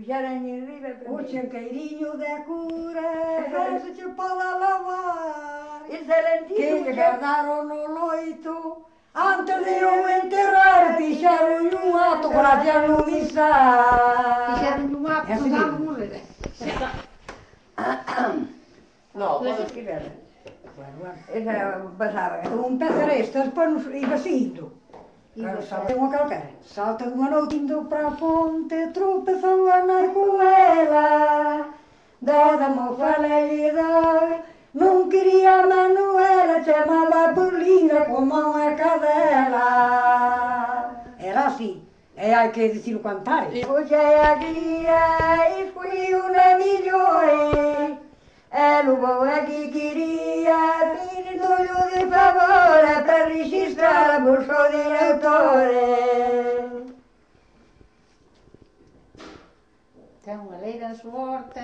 puxeran en riba para O chanqueirinho da cura, se te pode lavar. Excelentísimo. Que lhe guardaram no loito, antes de o enterrar, fixeron un ato, gracias no misal. Fixeron un ato, non dando morrer. No, pode escribir. Bueno, Esa pasaba. un pezaresto, despois iba indo. Claro, salta unha calquera. Salta dunha noite indo para a ponte, tropezou a nai coela. Dada mofalidade, non quería a Manuela, chamaba por linda como unha cadela. Era así, e hai que dicilo cantar. Puxei a guía e fui unha millói. E levou a que quería, pedindo-lhe de favor, para registrar a bolsa direttore. Ten unha leira en suorte.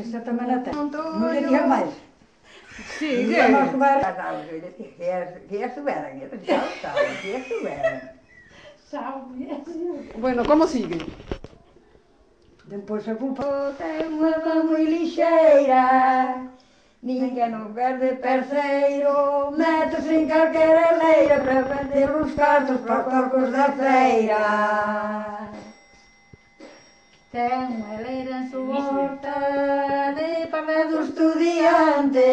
Esa tamén a ten. Non le digas máis. Sí, Vamos a ver. Que a suberan, que a suberan. Bueno, como sigue? Depois a culpa. Ten unha man moi lixeira, ninguén non perde perceiro, métese en calquera leira para vender os cartos para os porcos da feira. Ten unha leira en su horta de parla do estudiante,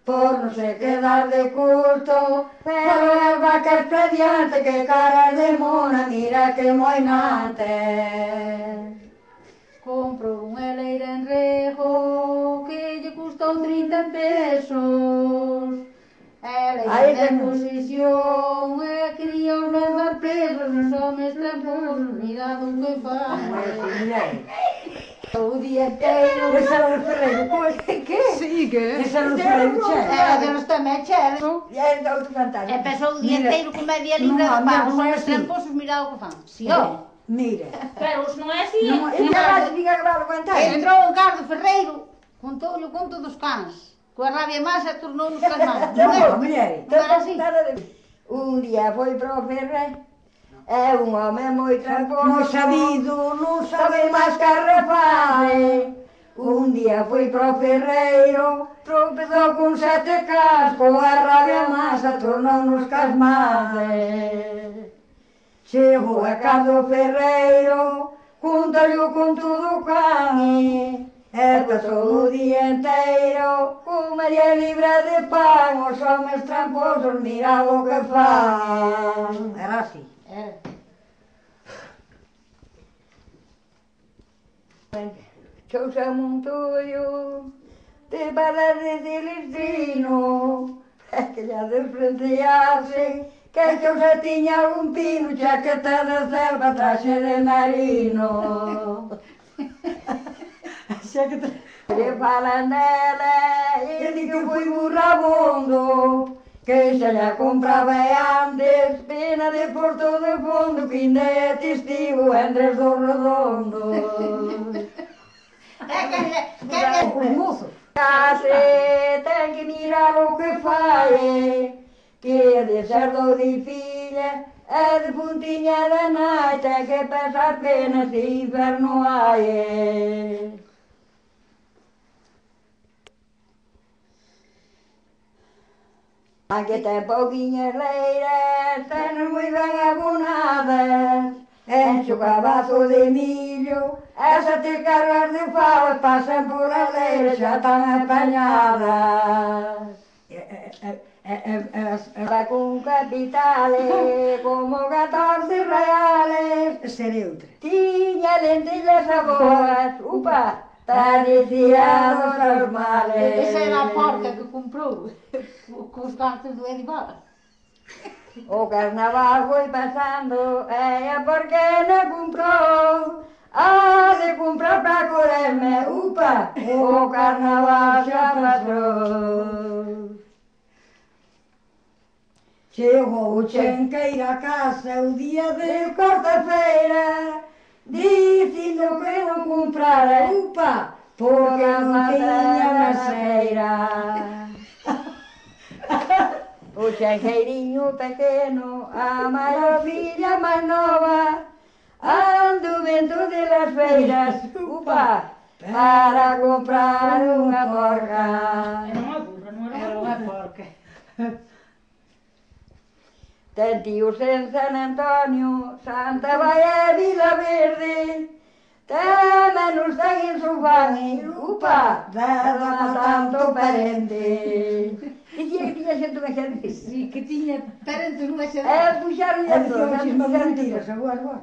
por non se quedar de curto, pero as vacas para diante, que caras de mona, mira que moinante. Compro unha leira en rego que lle custou 30 pesos. Ela de posición e quería os levar presos os homes tramposos, mirado que fan. O día inteiro. Esa era do Ferreiro, como que? Sigue. Esa era do Ferreiro, che. Era de los tamén, che. E é outro fantasma. E pasou o día inteiro con media libra non, de pan, os non é homes así. tramposos, mirado que fan. Si, ó. Mira. Pero isto non é así. Non, E xa vas diga que vai aguantar. Entrou o Carlos Ferreiro, contou-lhe o conto dos cans. Coa rabia masa tornou-nos calmados. Non Não, era? mulher. Non era así? Un día foi para o Ferrer, é un home moi tramposo, Moi sabido, non sabe sabe máis que arrefare. Un día foi para o Ferreiro, tropezou con 7 cascos, a rabia masa tornou-nos casmades. Chegou a casa do Ferreiro, conta-lhe o conto do can, e pasou o día inteiro con media libra de pan, os homes tramposos mira o que fan. Era así. Era. Chousa Montoyo, te balas de Celestrino, é que ya despreciase, que Chousa tiña algún pino, chaqueta de selva, traxe de marino. Xa que te... Le falan dela, e di que foi burrabundo, que xa la compraba antes, pena de Porto de Fondo, que ainda é testigo entre os redondos. Os mozos. Case ten que mirar o que fai, que é de cerdo de filla, é de puntiña da nai, ten que pensar penas de inferno hai. Aquí ten pouquiñas leiras, ten moi ben abonadas, enche o cabazo de millo, esa te cargas de favas, pasan por as leiras, xa están apañadas. Va con capitales, como 14 reales, Seré outra. tiña lentillas a boas, upa, parecía dos normales. Esa era a porca que comprou cos cartos do Edival. O carnaval foi pasando, e a porquena comprou, ha de comprar para correrme, upa, o carnaval xa pasou. Chegou o Chenqueiro a casa o día de cuarta-feira, dicindo que non comprara, upa, porque non tiña maseira. O Chenqueirinho pequeno, a maior filla máis nova, ando vento de feiras, upa, para comprar unha porca. Era unha burra, non era unha porca. Ten tíos en San Antonio, Santa Baia e Vila Verde, tamén os ten en Sofán e upa, dada tanto parente. Dicía que tiña xente unha xente. Sí, que tiña parentes nunha E xerrada. puxaron E a todos, dicía e chismas puxaron mentiras, agora.